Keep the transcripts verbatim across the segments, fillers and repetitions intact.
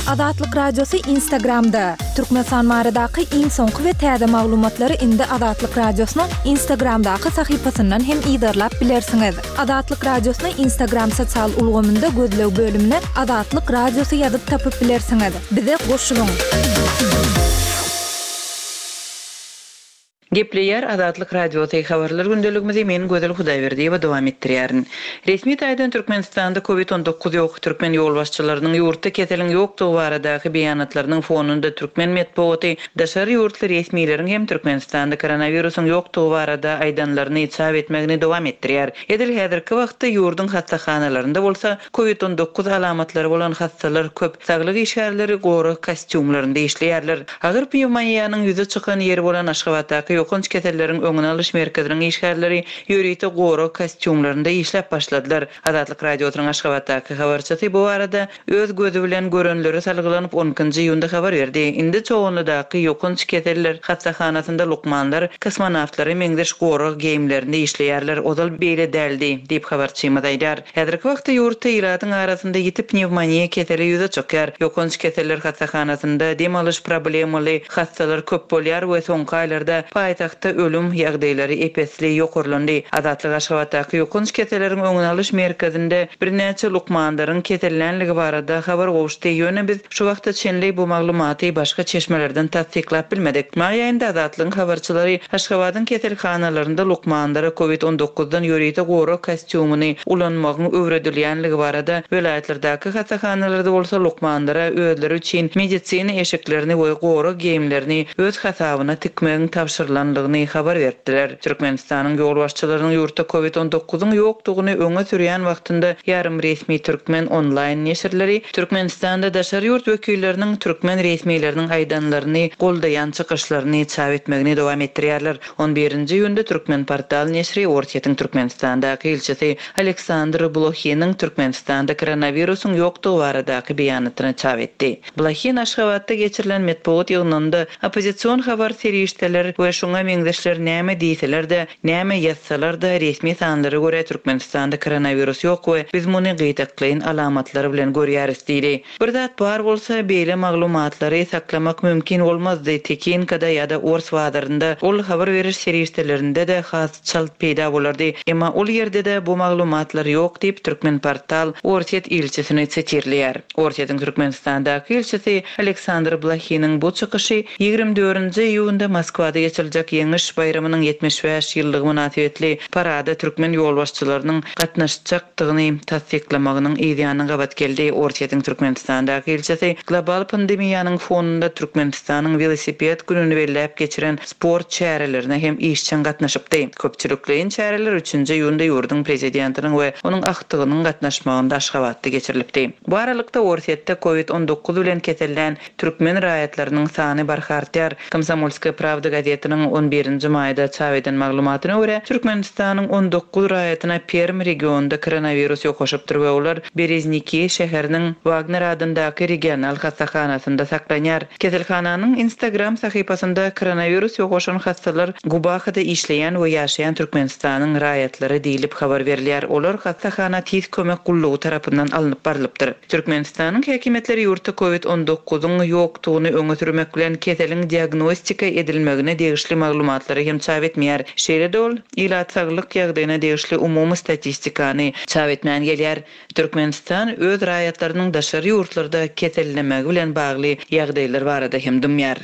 Azatlyk Radiosy Instagramda! Türkmenistan baradaky iň soňky we täze maglumatlary indi Azatlyk Radiosynyň Instagramdaky sahypasyndan hem yzarlap bilersiňiz. Azatlyk Radiosyny Instagram sosial ulgamynda gözleg bölümine Azatlyk Radiosy ýazyp tapyp bilersiňiz. Bize goşulyň! Gepleýär Azatlyk Radiosy habarlar gündeligimizi men Gözel Hudaýberdiýewa dowam etdirýärin. Resmi taýdan Türkmenistanda Covid on dokuz ýok. Türkmen ýolbaşçylarynyň ýurtda keseliň ýokdugy baradaky beýanatlarynyň fonunda türkmen metbugaty daşary ýurtly resmileriň hem Türkmenistanda koronawirusyň ýokdugy barada aýdanlaryny çap etmegini dowam etdirýär. Edil häzirki wagtda ýurduň hassahanalarynda bolsa Covid on dokuz alamatlary bolan hassalar köp. Saglyk işgärleri gorag kostýumlarynda işleýärler. Agyr pnewmoniýanyň ýüze çykan ýeri bolan Aşgabatdaky ýokanç keselleriň öňüni alyş merkeziniň işgärleri ýörite gorag kostýumlarynda işläp başladylar. Azatlyk Radiosynyň Aşgabatdaky habarçysy bu barada öz gözi bilen görenleri salgylanyp on ikinji iýunda habar berdi. Indi Çoganlydaky ýokanç keseller hassahanasynda lukmanlar kosmonawtlara meňzeş gorag geýimlerinde işleýärler. Ozal beýle däldi diýip habarçymyz aýdar. Häzirki wagtda ýurtda ilatyň arasynda ýiti pnewmoniýa keseli ýüze çykýar. Ýokanç keseller hassahanasynda dem alyş problemaly hassalar köp bolýar we soňky aýlarda paýtagtda ölüm ýagdaýlary epesli ýokarlandy. Azatlyk Aşgabatdaky ýokanç keselleriň öňüni alyş merkezinde birnäçe lukmanlaryň kesellänligi barada habar gowuşdy. Ýöne biz şu wagta çenli bu maglumaty başga çeşmelerden tassyklap bilmedik. Maý aýynda Azatlygyň habarçylary Aşgabadyň keselhanalarynda lukmanlara Covid on dokuzdan ýörite gorag kostýumyny ulanmagyň öwredilýänligi barada welaýatlardaky hassahanalarda bolsa lukmanlara özleri üçin medisina eşiklerini we gorag geýimlerini öz hasabyna tikmegiň tabşyrylanlygyny habar berdiler. Türkmenistanyň ýolbaşçylarynyň ýurtda Covid on dokuzyň ýokdugyny öňe sürýän wagtynda ýarym resmi türkmen onlaýn neşirleri Türkmenistanda daşary ýurt wekilleriniň türkmen resmileriniň aýdanlaryny goldaýan çykyşlaryny çap etmegini dowam etdirýärler. On birinji iýunda Türkmen portal neşiri Orsýetiň Türkmenistandaky ilçisi Aleksandr Blohiniň Türkmenistanda koronawirusyň ýokdugy baradaky beýanatyny çap etdi. Blohin Aşgabatda geçirilen metbugat ýygnagynda oppozision habar serişdeler we şoňa meňzeşler näme diýseler-de, näme ýazsalar-da resmi sanlara görä Türkmenistanda koronawirus ýok we biz muny gyýtaklaýyn alamatlar bilen görýäris diýdi. Bir zat bar bolsa beýle maglumatlary saklamak mümkin bolmazdy. Tekinkada ýa-da Ors bazarynda ol habar beriş serişdelerinde-de has çalt peýda bolardy. Emma ol ýerde-de bu maglumatlar ýok diýip Türkmen portal Orsýet ilçisini sitirleýär. Orsýetiň Türkmenistandaky ilçisi Aleksandr Blohiniň bu çykyşy ýigrimi dördünji iýunda Moskwada geçiriljek Ýeňiş baýramynyň ýetmiş bäş ýyllygy mynasybetli parada türkmen ýolbaşçylarynyň gatnaşjakdygyny tassyklamagynyň yzýanyna gabat geldi. Orsýetiň Türkmenistandaky ilçisi global pandemiýanyň fonunda Türkmenistanyň welosiped gününi belläp geçiren sport çärelerine hem işjeň gatnaşypdy. Köpçülikleýin çäreler üçünji iýunda ýurduň prezidentiniň we onuň aktygynyň gatnaşmagynda Aşgabatda geçirilipdi. Bu aralykda Orsýetde Covid on dokuz bilen kesellän türkmen raýatlarynyň sany barha artýar. Komsomolskaya Pravda gazetiniň on birinji maýda çap eden maglumatyna görä Türkmenistanyň on dokuz raýatyna Perm regionunda koronawirus ýokaşypdyr we olar Berezniki şäheriniň Wagner adyndaky regional hassahanasynda saklanýar. Keselhananyň Instagram sahypasynda koronawirus ýokaşan hassalar Gubahada işleýän we ýaşaýan Türkmenistanyň raýatlary diýlip habar berilýär. Olar hassahana tiz kömek gullugy tarapyndan alnyp barylypdyr. Türkmenistanyň häkimiýetleri ýurtda Covid on dokuzyň ýokdugyny öňe sürmek bilen keseliň diagnostika edilmegine degişli maglumatlary hem çap etmeýär. Şeýle-de ol ilat saglyk ýagdaýyna degişli umumy statistikany çap etmän gelýär. Türkmenistan öz raýatlarynyň daşary ýurtlarda kesellemegi bilen bagly ýagdaýlar barada hem dymýar.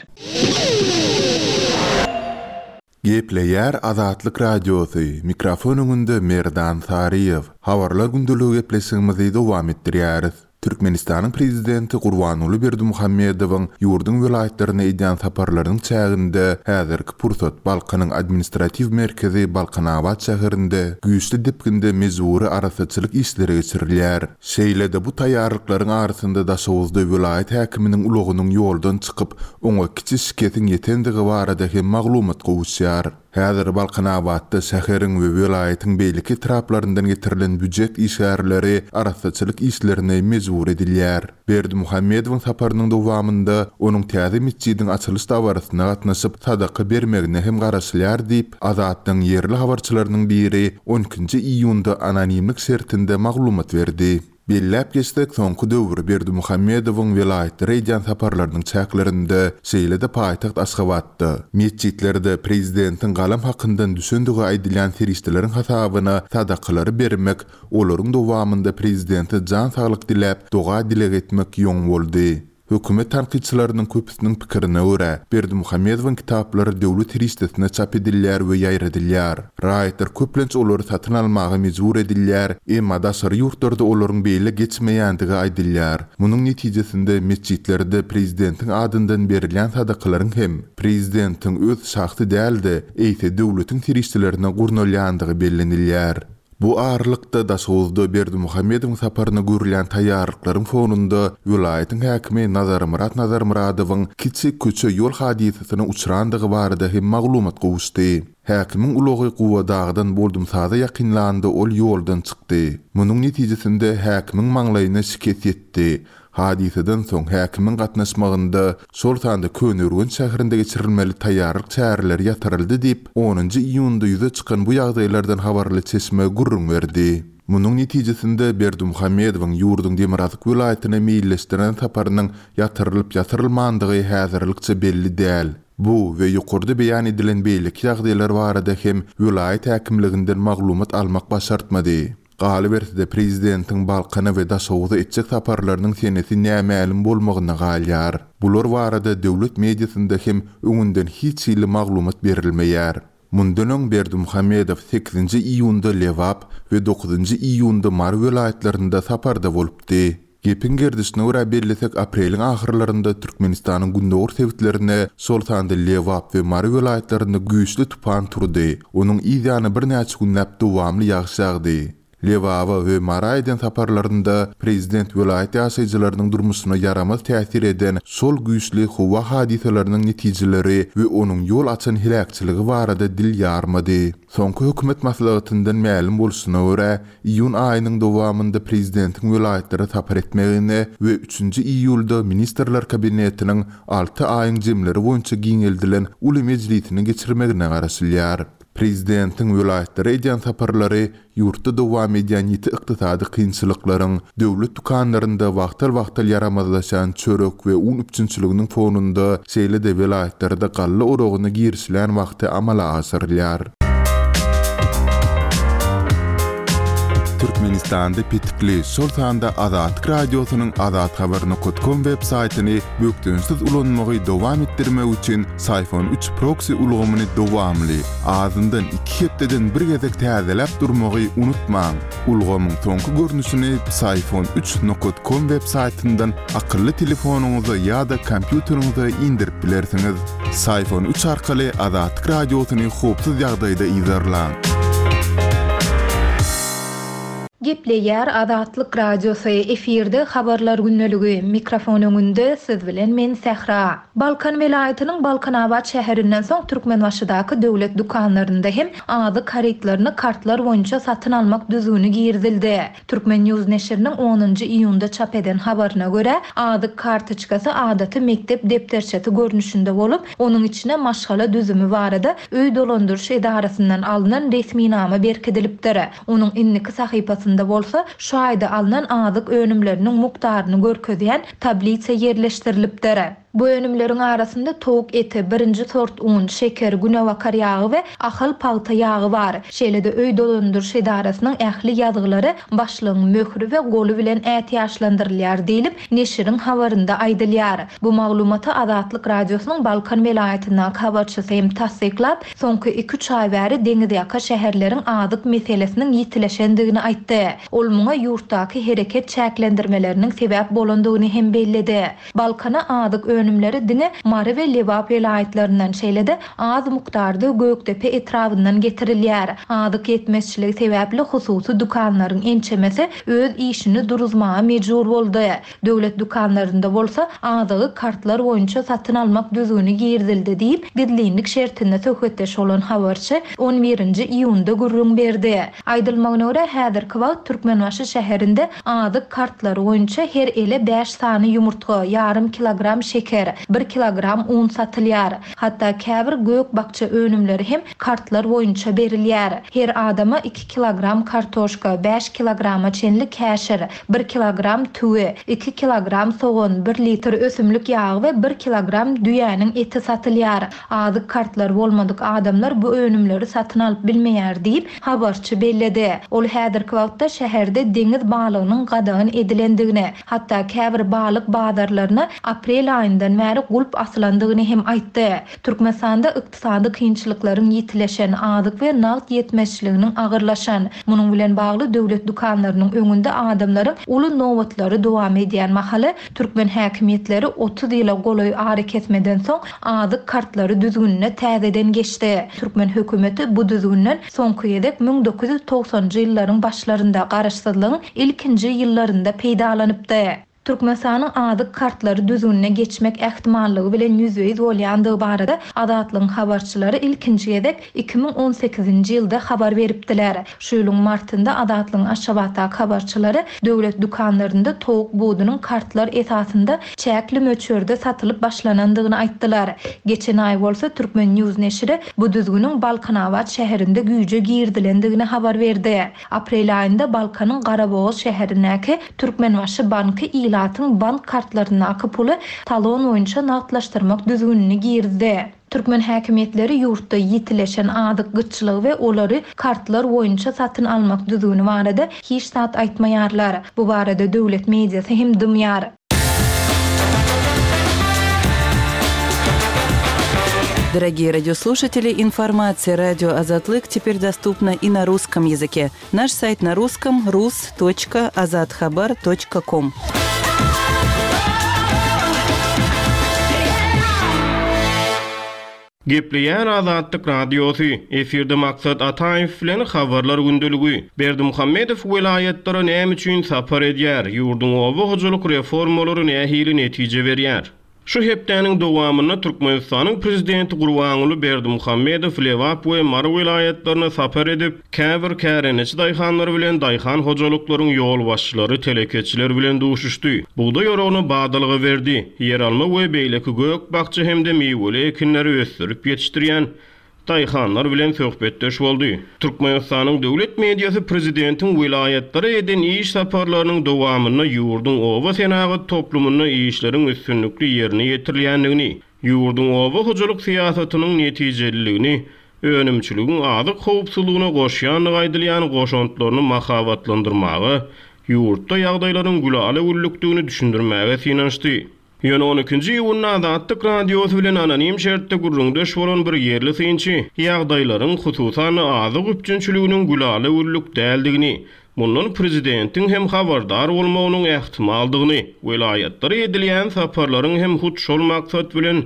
Gepleýär Azatlyk Radiosy, mikrofon öňünde Merdan Saryýew. Habarlar gündeligi gepleşigimizi dowam etdirýäris. Türkmenistanyň prezidenti Gurbanguly Berdimuhamedowyň ýurduň welaýatlaryna edýän saparlarynyň çäginde häzirki pursat Balkanyň administratiw merkezi Balkanabat şäherinde güýçli depginde mejbury arassaçylyk işleri geçirilýär. Şeýle-de bu taýýarlyklaryň arasynda Daşoguzda welaýat häkiminiň ulagynyň ýoldan çykyp, oňa kiçi şikesiň ýetendigi barada hem maglumat gowuşýar. Häzir Balkanabatda şäheriň we welaýatyň beýleki etraplaryndan getirilen býujet işgärleri arassaçylyk işlerine mejbur edilýär. Berdimuhamedowyň saparynyň dowamynda onuň täze metjidiň açylyş dabarasyna gatnaşyp sadaka bermegine hem garaşylýar diýip, Azatlygyň ýerli habarçylarynyň biri on ikinji iýunda anonimlik şertinde maglumat berdi. Belläp geçsek, soňky döwür Berdimuhamedowyň welaýatlara edýän saparlarynyň çäklerinde, şeýle-de paýtagt Aşgabatda, metjitlerde prezidentiň galam hakyndan düşendigi aýdylýan serişdeleriň hasabyna sadakalary bermek, olaryň dowamynda prezidente jan saglyk diläp, doga-dileg etmek ýoň boldy. Hökümet tankytçylarynyň köpüsiniň pikirine görä, Berdimuhamedowyň kitaplary döwlet serişdesine çap edilýär we ýaýradylýar. Raýatlar köplenç olary satyn almaga mejbur edilýär, emma daşary ýurtlarda olaryň beýle geçmeýändigi aýdylýar. Munuň netijesinde metjitlerde prezidentiň adyndan berilýän sadakalaryň hem prezidentiň öz şahsy däl-de, eýse döwletiň serişdelerine gurnalýandygy bellenilýär. Bu aralykda, Daşoguzda Berdimuhamedowyň saparyna görülýän taýýarlyklaryň fonunda welaýatyň häkimi Nazarmyrat Nazarmyradowyň kiçi köçe-ýol hadysasyna uçrandygy barada hem maglumat gowuşdy. Häkimiň ulagy Guwadagdan Boldumsaza ýakynlanda ol ýoldan çykdy. Munuň netijesinde häkimiň maňlaýyna şikes ýetdi. Hadysadan soň häkimiň gatnaşmagynda, şol sanda Köneürgenç şäherinde geçirilmeli taýýarlyk çäreleri ýatyryldy diýip, onunjy iýunda ýüze çykan bu ýagdaýlardan habarly çeşme gürrüň berdi. Munuň netijesinde Berdimuhamedowyň ýurduň demirgazyk welaýatyna meýilleşdiren saparynyň ýatyrylyp-ýatyrylmandygy häzirlikçe belli däl. Bu we ýokarda beýan edilen beýleki ýagdaýlar barada hem welaýat häkimliginden maglumat almak başartmady. Galyberse-de, prezidentiň Balkana we Daşoguza etjek saparlarynyň senesi nämälim bolmagyna galýar. Bular barada döwlet mediasynda hem öňünden hiç hili maglumat berilmeýär. Mundan öň Berdimuhamedow sekizinji iýunda Lebap we dokuzynjy iýunda Mary welaýatlarynda saparda bolupdy. Gepiň gerdişine görä bellesek, apreliň ahyrlarynda Türkmenistanyň gündogar sebitlerine, şol sanda Lebap we Mary welaýatlarynda güýçli tupan turdy. Onuň yz ýany birnäçe günläp dowamly ýagyş ýagdy. Lebaba we Mara eden saparlarynda prezident welaýat ýaşaýjylarynyň durmuşyna ýaramaz täsir eden şol güýçli howa hadysalarynyň netijeleri we onuň ýol açan heläkçiligi barada dil ýarmady. Soňky hökümet maslahatyndan mälim bolşuna görä, iýun aýynyň dowamynda prezidentiň welaýatlara sapar etmegine we üçünji iýulda Ministrler Kabinetiniň alty aýyň jemleri boýunça giňeldilen uly mejlisini geçirmegine garaşylýar. Prezidentiň welaýatlara edýän saparlary ýurtda dowam edýän ýiti ykdysady kynçylyklaryň, döwlet dükanlarynda wagtal-wagtal ýaramazlaşýan çörek we un üpjünçiliginiň fonunda, şeýle-de welaýatlarda galla oragyna girişilýän wagty amala aşyrylýar. Türkmenistanda petikli, şol sanda Azatlyk Radiosynyň azathabar nokat kom web saýtyny bökdençsiz ulanmagy dowam etdirmek üçin Syfon üç proksi ulgamyny dowamly, azyndan iki hepdeden bir gezek täzeläp durmagy unutmaň. Ulgamyň soňky görnüşini Syfon üç nokat kom web saýtyndan akylly telefonyňyza ýa-da kompýuteriňize indirip bilersiňiz. Syfon üç arkaly Azatlyk Radiosyny howpsuz ýagdaýda yzarlaň. Gepleýär Azatlyk Radiosy, efirde habarlar gündeligi, mikrofon öňünde siz bilen men Sähra. Balkan welaýatynyň Balkanabat şäherinden soň Türkmenbaşydaky döwlet dükanlarynda hem azyk harytlaryny kartlar boýunça satyn almak düzgüni girizildi. Türkmen News neşiriniň onunjy iýunda çap eden habaryna görä, azyk kartoçkasy adaty mekdep depderçesi görnüşinde bolup, onuň içine maşgala düzümi barada öý dolandyryş edarasyndan alnan resminama berkidilipdir. Onuň indiki sahypasynda bolsa şu aýda alnan azyk önümleriniň mukdaryny görkezýän tablisa ýerleşdirilipdir. Bu önümleriň arasynda towuk eti, birinji sort un, şeker, günebakar ýagy we ahal pagta ýagy bar. Şeýle-de öý dolandyryş edarasynyň ähli ýazgylary başlygyň möhri we goly bilen ätiýaçlandyrylýar diýlip, neşiriň habarynda aýdylýar. Bu maglumaty Azatlyk Radiosynyň Balkan welaýatyndaky habarçysy hem tassyklap, soňky iki-üç aý bäri deňizýaka şäherleriň azyk meselesiniň ýitileşendigini aýtdy. Ol muňa ýurtdaky hereket çäklendirmeleriniň sebäp bolandygyny hem belledi. Balkana azyk önümleri diňe Mary we Lebap welaýatlaryndan, şeýle-de az mukdarda Gökdepe etrabyndan getirilýär. Azyk ýetmezçiligi sebäpli hususy dükanlaryň ençemesi öz işini duruzmaga mejbur boldy. Döwlet dükanlarynda bolsa azygy kartlar boýunça satyn almak düzgüni girizildi diýip, gizlinlik şertinde söhbetdeş bolan habarçy on birinji iýunda gürrüň berdi. Aýdylmagyna görä, häzirki wagt Türkmenbaşy şäherinde azyk kartlary boýunça her ele bäş sany ýumurtga, ýarym kilogram şeker, şeker, bir kilogram un satylýar. Hatda käbir gök-bakja önümleri hem kartlar boýunça berilýär. Her adama iki kilogram kartoşka, bäş kilograma çenli käşir, bir kilogram tüwi, iki kilogram sogan, bir litr ösümlik ýagy we bir kilogram düýäniň eti satylýar. Azyk kartlary bolmadyk adamlar bu önümleri satyn alyp bilmeýär diýip, habarçy belledi. Ol häzirki wagtda şäherde deňiz balygynyň gadagan edilendigini, hatda käbir balyk bazarlaryna aprel aýyndan bäri gulp asylandygyny hem aýtdy. Türkmenistanda ykdysady kynçylyklaryň ýitileşen, azyk we nagt ýetmezçiliginiň agyrlaşan, munuň bilen bagly döwlet dükanlarynyň öňünde adamlaryň uly nobatlary dowam edýän mahaly türkmen häkimiýetleri otuz ýyla golaý arakesmeden soň azyk kartlary düzgünine täzeden geçdi. Türkmen hökümeti bu düzgünden soňky gezek müň dokuz ýüz togsanjy ýyllaryň başlarynda garaşsyzlygyň ilkinji ýyllarynda peýdalanypdy. Türkmenistanyň azyk kartlary düzgünine geçmek ähtimallygy bilen ýüzbe-ýüz bolýandygy barada Azatlygyň habarçylary ilkinji gezek iki müň on sekizinji ýylda habar beripdiler. Şu ýylyň martynda Azatlygyň Aşgabatdaky habarçylary döwlet dükanlarynda towuk budunyň kartlar esasynda çäkli möçberde satylyp başlanandygyny aýtdylar. Geçen aý bolsa Türkmen News neşiri bu düzgünüň Balkanabat şäherinde güýje girdilendigini habar berdi. Aprel aýynda Balkanyň Garabogaz şäherindäki Türkmenbaşy banky ilatyň bank kartlaryndaky puly talon boýunça nagtlaşdyrmak düzgünini girdi. Türkmen häkimiýetleri ýurtda ýitileşen azyk gytçylygy we olary kartlar boýunça satyn almak düzgüni barada hiç zat aýtmaýarlar. Bu barada döwlet mediasy hem dymýar. Дорогие радиослушатели, информация радио Азатлык теперь доступна и на русском языке. Наш сайт на русском рус точка азатхабар точка ком. Gepleýär Azatlyk Radiosy, efirde Maksat Ataýew bilen habarlar gündeligi. Berdimuhamedow welaýatlara näme üçin sapar edýär? Ýurduň oba hojalyk reformalary nähili netije berýär? Şu hepdäniň dowamynda Türkmenistanyň prezidenti Gurbanguly Berdimuhamedow Lebap we Mary welaýatlaryna sapar edip, käbir kärendeçi daýhanlar bilen daýhan hojalyklaryň ýolbaşçylary, telekeçiler bilen duşuşdy. Bugdaý oragyna badalga berdi. Ýer alma we beýleki gök bakça hem-de miweli ekinleri ösdürip ýetişdirýän daýhanlar bilen söhbetdeş boldy. Türkmenistanyň döwlet mediasy prezidentiň welaýatlara eden iş saparlarynyň dowamynda ýurduň oba senagat toplumynda işleriň üstünlikli ýerine ýetirilýändigini, ýurduň oba hojalyk syýasatynyň netijeliligini, önümçiligiň azyk howpsuzlygyna goşýandygy aýdylýan goşantlaryny mahabatlandyrmaga, ýurtda ýagdaýlaryň gülaly-güllükdigini düşündirmäge synanyşdy. Ýöne on ikinji iýunda Azatlyk Radiosy bilen anonim şertde gürrüňdeş bolan bir ýerli synçy ýagdaýlaryň hususan azyk üpjünçiliginiň gülaly-güllük däldigini, mundan prezidentiň hem habardar bolmagynyň ähtimaldygyny, welaýatlara edilýän saparlaryň hem hut şol maksat bilen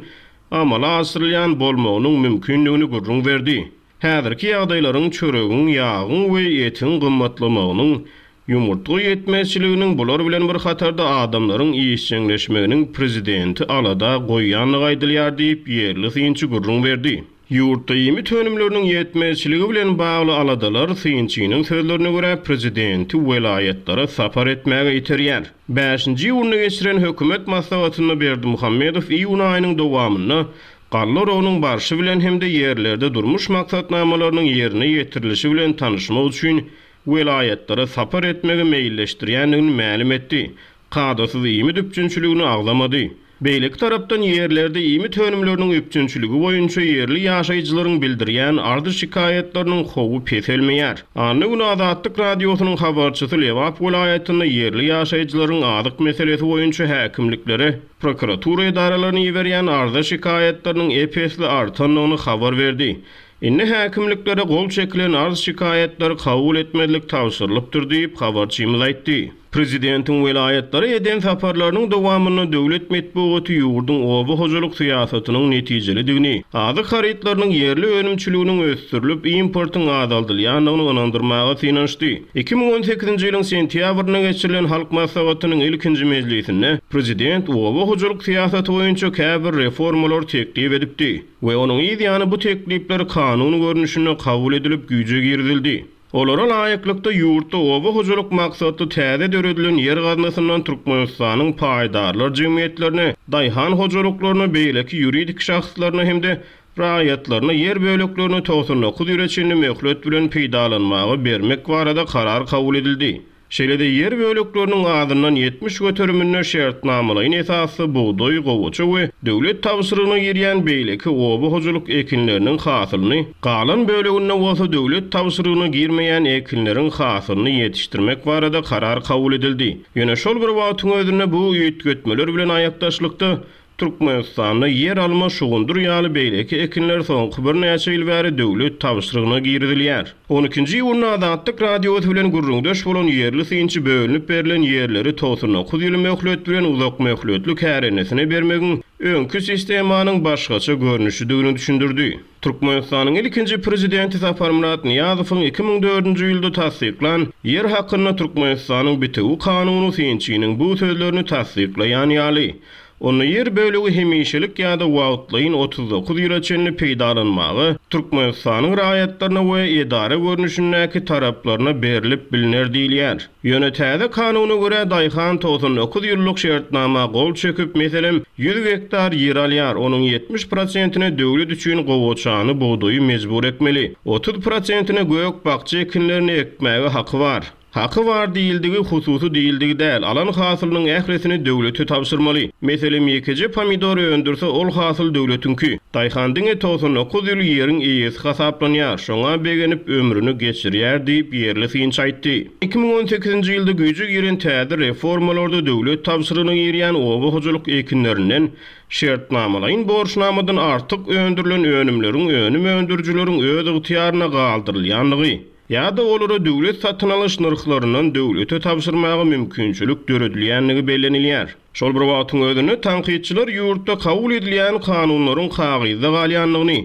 amala aşyrylýan bolmagynyň mümkindigini gürrüň berdi. Häzirki ýagdaýlaryň çöregiň, ýagyň we etiň gymmatlamagynyň, ýumurtga ýetmezçiliginiň bular bilen bir hatarda adamlaryň işjeňleşmeginiň prezidenti alada goýýanlygy aýdylýar diýip ýerli synçy gürrüň berdi. Ýurtda iýmit önümleriniň ýetmezçiligi bilen bagly aladalar synçynyň sözlerine görä prezidenti welaýatlara sapar etmäge iterýär. Bäşinji iýunda geçiren hökümet maslahatynda Berdimuhamedow iýun aýynyň dowamynda galla oragynyň barşy bilen hem-de ýerlerde durmuş maksatnamalarynyň ýerine ýetirilişi bilen tanyşmak üçin welaýatlara sapar etmegi meýilleşdirýändigini mälim etdi. Kadasyz iýmit üpjünçiligini agzamady. Beýleki tarapdan ýerlerde iýmit önümleriniň üpjünçiligi boýunça ýerli ýaşaýjylaryň bildirýän ardy şikaýatlarynyň howy peselmeýär. Anna güni Azatlyk Radiosynyň habarçysy Lebap welaýatynda ýerli ýaşaýjylaryň azyk meselesi boýunça häkimliklere, prokuratura edaralaryny iberýän arza şikaýatlarynyň ep-esli artandygyny habar berdi. Indi häkimliklere gol çekilen arz şikaýatlary kabul etmezlik tabşyrylypdyr diýip habarçymyz aýtdy. Prezidentiň welaýatlara eden saparlarynyň dowamynda döwlet metbugaty ýurduň oba hojalyk syýasatynyň netijelidigini, azyk harytlarynyň ýerli önümçiliginiň ösdürilip importyň azaldylýandygyny ynandyrmaga synanyşdy. iki müň on sekizinji ýylyň sentýabrynda geçirilen Halk Maslahatynyň ilkinji mejlisinde prezident oba hojalyk syýasaty boýunça käbir reformalar teklip edipdi we onuň ýany bu teklipler kanun görnüşinde kabul edilip güýje girizildi. Olara laýyklykda ýurtda oba hojalyk maksatly täze döredilen ýer gaznasyndan Türkmenistanyň paýdarlar jemgyýetlerine, daýhan hojalyklaryna, beýleki ýuridik şahslaryna hem-de raýatlaryna ýer böleklerini togsan dokuz ýyla çenli möhlet bilen peýdalanmaga bermek barada karar kabul edildi. Şeýle-de ýer bölekleriniň azyndan ýetmiş göteriminde şertnamalaýyn esasda bugdaý, gowaça we döwlet tabşyrygyna girýän beýleki oba hojalyk ekinleriniň hasylyny, galan böleginde bolsa döwlet tabşyrygyna girmeýän ekinleriň hasylyny ýetişdirmek barada karar kabul edildi. Ýöne şol bir wagtyň özünde bu üýtgetmeler bilen aýakdaşlykda Türkmenistanda ýer alma, şugundyr ýaly beýleki ekinler soňky birnäçe ýyl bäri döwlet tabşyrygyna girizilýär. On ikinji iýunda Azatlyk Radiosy bilen gürrüňdeş bolan ýerli synçy bölünip berlen ýerleri togsan dokuz ýyl möhlet bilen uzak möhletli kärendeçisine bermegiň öňki sistemanyň başgaça görnüşidigini düşündirdi. Türkmenistanyň ilkinji prezidenti Saparmyrat Nyýazowyň iki müň dördünji ýylda tassyklan ýer hakynda Türkmenistanyň bitewi kanuny synçynyň bu sözlerini tassyklaýan ýaly. Onda ýer bölegi hemişelik ýa-da wagtlaýyn otuz dokuz ýyla çenli peýdalanmaga Türkmenistanyň raýatlaryna we edara görnüşindäki taraplaryna berilip biliner diýilýär. Ýöne täze kanuna görä daýhan togsan dokuz ýyllyk şertnama gol çekip, meselem, ýüz gektar ýer alýar, onuň ýetmiş prosentine döwlet üçin gowaçany, bugdaýy mejbur etmeli. otuz prosentine gök bakja ekinlerini ekmäge haky bar. Haky bar diýildigi hususy diýildigi däl, alan hasylynyň ählisini döwlete tabşyrmaly. Meselem, ýekeje pomidor öndürse ol hasyl döwletiňki. Daýhan diňe togsan dokuz ýyl ýeriň eýesi hasaplanýar, şoňa begenip ömrüni geçirýär diýip ýerli synçy aýtdy. Iki müň on sekizinji ýylda güýje giren täze reformalarda döwlet tabşyrygyna girýän oba hojalyk ekinlerinden şertnamalaýyn borçnamadan artyk öndürilen önümleriň önüm öndürijileriň öz ygtyýaryna galdyrylýanlygy ýa-da olara döwlet satyn alyş nyrhlaryndan döwlete tabşyrmaga mümkinçilik döredilýänligi bellenilýär. Şol bir wagtyň özünde tankytçylar ýurtda kabul edilýän kanunlaryň kagyzda galýanlygyny,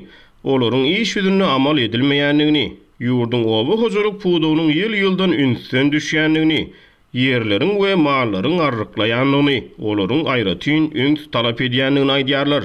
olaryň iş ýüzünde amal edilmeýänligini, ýurduň oba hojalyk pudagynyň ýyl-ýyldan ünsden düşýänligini, ýerleriň we mallaryň arryklaýanlygyny, olaryň aýratyn üns talap edýänligini aýdýarlar.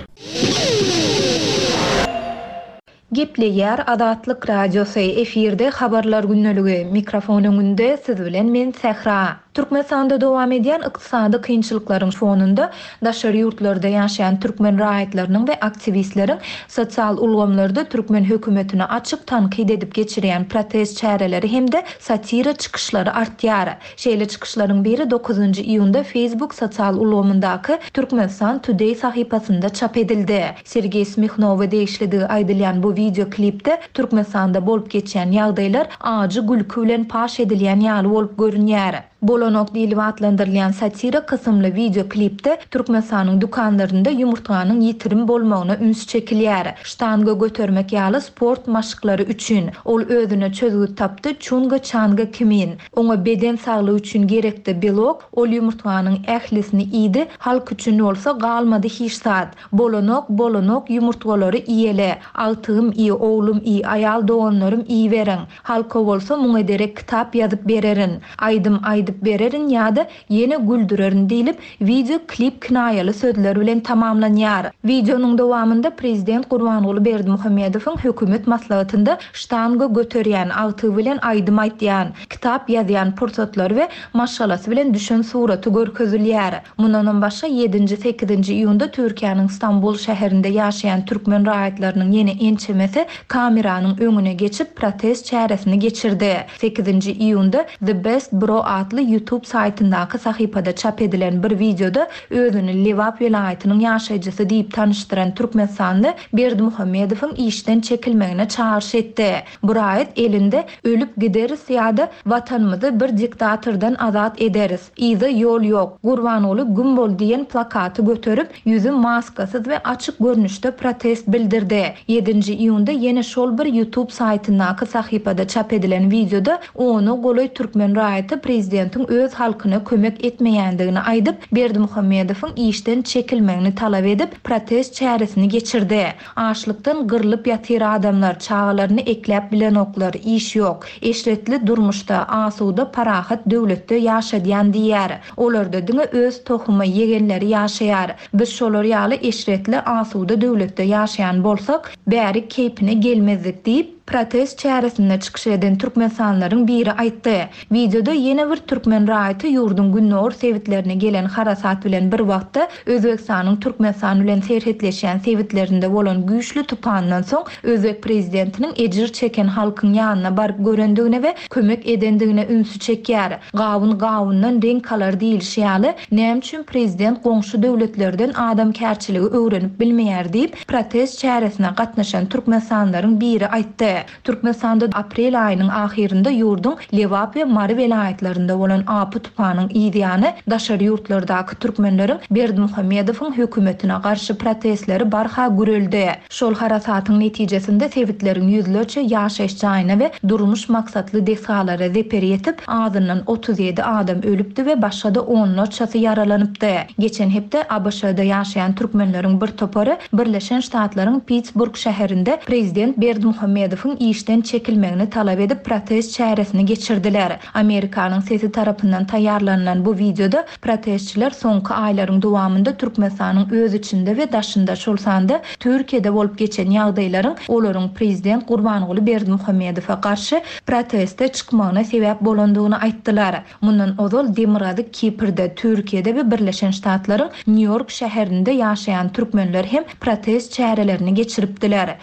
Gepleýär Azatlyk Radiosy, efirde habarlar gündeligi, mikrofon öňünde siz bilen men Sähra. Türkmenistanda dowam edýän ykdysady kynçylyklaryň fonunda daşary ýurtlarda ýaşaýan türkmen raýatlarynyň we aktiwistleriň sosial ulgamlarda türkmen hökümetini açyk tankyt edip geçirýän protest çäreleri hem-de satira çykyşlary artýar. Şeýle çykyşlaryň biri dokuzynjy iýunda Facebook sosial ulgamyndaky Türkmenistan Today sahypasynda çap edildi. Sergey Smihnowa degişlidigi aýdylýan bu video klipde Türkmenistanda bolup geçýän ýagdaýlar ajy gülki bilen paş edilýän ýaly bolup görünýär. Bolonok diýlip atlandyrylýan satira kysymly video klipde Türkmenistanyň dükanlarynda ýumurtganyň ýitirim bolmagyna üns çekilýär. Ştanga götermek ýaly sport maşklary üçin ol özüne çözgüt tapdy çunga çanga kimin. Oňa beden saglygy üçin gerekdi belok, ol ýumurtganyň ählisini iýdi, halk üçin bolsa galmady hiç zat. Bolonok, bolonok ýumurtgalary iýele. Agtygym iý, oglum iý, aýal doganlarym iýiberiň. Halka bolsa muňa derek kitap ýazyp bererin. Aýdym aýdyp bererin ýa-da ýene güldürerin diýlip video klip kinaýaly sözler bilen tamamlanýar. Videonyň dowamynda prezident Gurbanguly Berdimuhamedowyň hökümet maslahatynda ştanga göterýän, agtygy bilen aýdym aýtýan, kitap ýazýan pursatlary we maşgalasy bilen düşen suraty görkezilýär. Mundanam başga ýedinji, sekizinji iýunda Türkiýäniň Stambul şäherinde ýaşaýan türkmen raýatlarynyň ýene ençemesi kameranyň öňüne geçip protest çäresini geçirdi. Sekizinji iýunda The Best Bro atly YouTube saýtyndaky sahypada çap edilen bir videoda özüni Lebap welaýatynyň ýaşaýjysy diýip tanyşdyran Türkmenistanly Berdimuhamedowyň işden çekilmegine çagyryş etdi. Bu raýat elinde ölüp gideris ýa-da watanymyzy bir diktatordan azat ederis. Yza ýol ýok. Gurbanguly güm bol diýen plakaty göterip, ýüzi maskasyz we açyk görnüşde protest bildirdi. Ýedinji iýunda ýene şol bir YouTube saýtyndaky sahypada çap edilen videoda ona golaý türkmen raýaty prezidentiň öz halkyna kömek etmeýändigini aýdyp, Berdimuhamedowyň işden çekilmegini talap edip, protest çäresini geçirdi. Açlykdan gyrlyp ýatyr adamlar, çagalaryny ekläp bilenoklar, iş ýok. Eşretli durmuşda, asuda, parahat döwletde ýaşadýan diýär. Olarda diňe öz tohumy ýegenleri ýaşaýar. Biz şolar ýaly eşretli, asuda döwletde ýaşaýan bolsak, bäri keýpine gelmezdik diýip, protest çäresinde çykyş eden türkmenistanlylaryň biri aýtdy. Wideoda ýene bir türkmen raýaty ýurduň gündogar sebitlerine gelen harasat bilen bir wagtda Özbegistanyň Türkmenistan bilen serhetleşýän sebitlerinde bolan güýçli tupandan soň özbek prezidentiniň ejir çeken halkyň ýanyna baryp görendigine we kömek edendigine ünsi çekýär. Gawun gawundan reňk alar diýilişi ýaly, näme üçin prezident goňşy döwletlerden adamkärçiligi öwrenip bilmeýär diýip, protest çäresine gatnaşan türkmenistanlylaryň biri aýtdy. Türkmenistanda aprel aýynyň ahyrynda ýurduň Lebap we Mary welaýatlarynda bolan apy tupanyň yzýany daşary ýurtlardaky türkmenleriň Berdimuhamedowyň hökümetine garşy protestleri barha güreldi. Şol harasatyň netijesinde sebitleriň ýüzlerçe ýaşaýyş jaýyna we durmuş maksatly desgalara zeper ýetip, azyndan otuz ýedi adam ölüpdi we başga-da onlarçasy ýaralanypdy. Geçen hepde ABŞ-da ýaşaýan türkmenleriň bir topary Birleşen Ştatlaryň Pittsburgh şäherinde prezident Berdimuhamedowyň işden çekilmegini talap edip protest çäresini geçirdiler. Amerikanyň sesi tarapyndan taýýarlanylan bu wideoda protestçiler soňky aýlaryň dowamynda Türkmenistanyň öz içinde we daşynda, şol sanda Türkiýede bolup geçen ýagdaýlaryň olaryň prezident Gurbanguly Berdimuhamedowa garşy proteste çykmagyna sebäp bolandygyny aýtdylar. Mundan ozal Demirgazyk Kiprde, Türkiýede we Birleşen Ştatlaryň Nýu-Ýork şäherinde ýaşaýan türkmenler hem protest çärelerini geçiripdiler.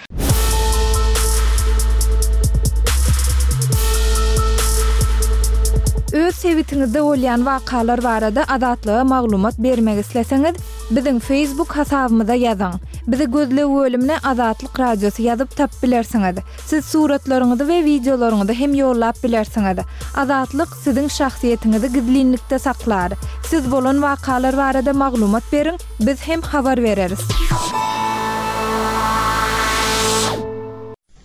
Öz sebitiňizde bolýan wakalar barada Azatlyga maglumat bermek isleseňiz, biziň Facebook hasabymyza ýazyň. Bizi gözleg bölümine Azatlyk Radiosy ýazyp tapyp bilersiňiz. Siz suratlaryňyzy we wideolaryňyzy hem ýollap bilersiňiz. Azatlyk siziň şahsyýetiňizi gizlinlikde saklar. Siz bolan wakalar barada maglumat beriň, biz hem habar bereris.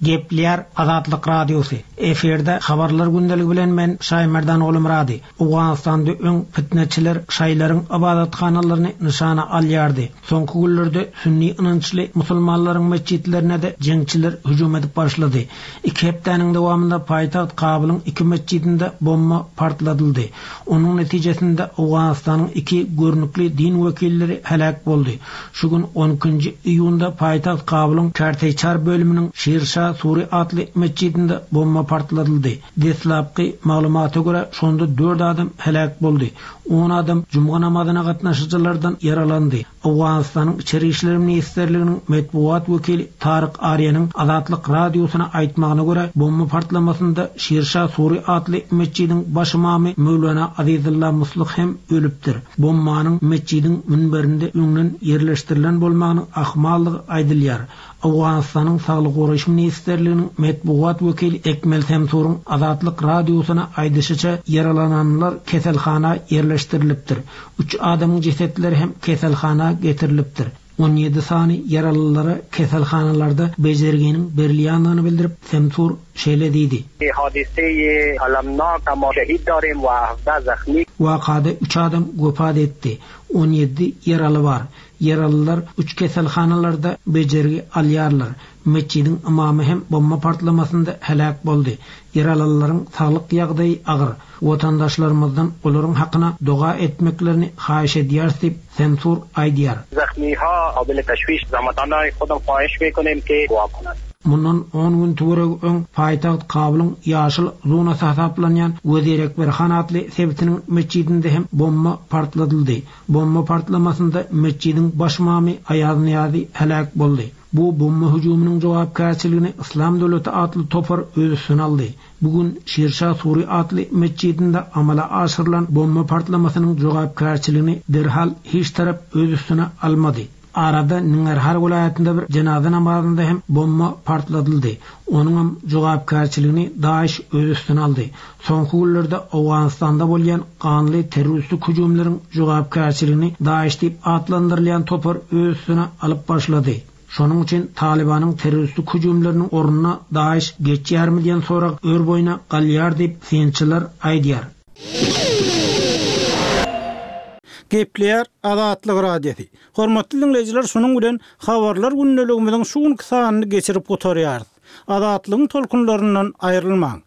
Gepleýär Azatlyk Radiosy. Efirde habarlar gündeligi bilen men Şaýmerdan Oglumyrady. Owganystanda öň fitneçiler şaýlaryň ibadathanalaryny nyşana alýardy. Soňky günlerde sünni ynançly musulmanlaryň mesjitlerine de jeňçiler hüjüm edip başlady. Iki hepdäniň dowamynda paýtagt Kabulyň iki mesjidinde bomba partladyldy. Onuň netijesinde Owganystanyň iki görnükli din wekilleri heläk boldy. Şu gün on ikinji iýunda paýtagt Kabulyň Karteýçar bölüminiň Şirşa Suri atly mesjidinde bomba partladyldy. Deslapky maglumata görä şonda dört adam heläk boldy. On adam juma namazyna gatnaşyjylardan ýaralandy. Owganystanyň Içeri işler ministrliginiň metbugat wekili Taryk Arýanyň Azatlyk radiosyna aýtmagyna görä bomba partlamasynda Şirşa Suri atly mesjidiň baş imamy Mewlana Azizullah Musluh hem ölüpdir. Bombanyň mesjidiň münberinde öňden ýerleşdirilen bolmagynyň ahmallygy aýdylýar. Owganystanyň Saglyk goraýyş ministrliginiň metbugat wekili Ekmel Semsuryň Azatlyk radiosyna aýdyşyça ýaralananlar keselhana ýerleşdirilipdir. Üç adamyň jesetleri hem keselhana getirilipdir. On ýedi sany ýaralylara keselhanalarda bejerginiň berilýändigini bildirip Semsur şeýle diýdi. Hadiseyi alamnak ama şehit darim we hafda zakhmi. Wakada üç adam wepat etdi. On ýedi ýaraly bar. Ýaralylar üç keselhanalarda bejergi alýarlar. Mesjidiň imamy hem bomba partlamasynda heläk boldy. Ýaralylaryň saglyk ýagdaýy agyr. Watandaşlarymyzdan olaryň hakyna doga etmeklerini haýyş edýäris diýip Semsur aýdýar. Zakhmiha qabil tashwish zamatanay khodam khawahish mekonim ki dua konand. Mundan on gün töweregi öň paýtagt Kabulyň ýaşyl zonasy hasaplanýan Wezirekberhan atly sebitiniň mesjidinde hem bomba partladyldy. Bomba partlamasynda mesjidiň baş imamy Aýaz Niýazi heläk boldy. Bu bomba hüjüminiň jogapkärçiligini Islam döwleti atly topar öz üstüne aldy. Bugün Şirşa Suri atly mesjidinde amala aşyrylan bomba partlamasynyň jogapkärçiligini derhal hiç tarap öz üstüne almady. Arada Ningarhar welaýatynda bir jenaza namazynda hem bomba partladyldy. Onuň hem jogapkärçiligini DAEŞ öz üstüne aldy. Soňky günlerde Owganystanda bolýan ganly terroristik hüjümleriň jogapkärçiligini DAEŞ diýip atlandyrylýan topar öz üstüne alyp başlady. Şonuň üçin Talibanyň terroristik hüjümleriniň ornuna DAEŞ geçýärmi diýen sorag ör boýuna galýar diýip synçylar aýdýar. Gepleýär Azatlyk Radiosy. Hormatly dinleýjiler, şunuň bilen habarlar gündeligimiziň şu günki sanyny geçirip gutarýarys. Azatlygyň tolkunlaryndan aýrylmaň.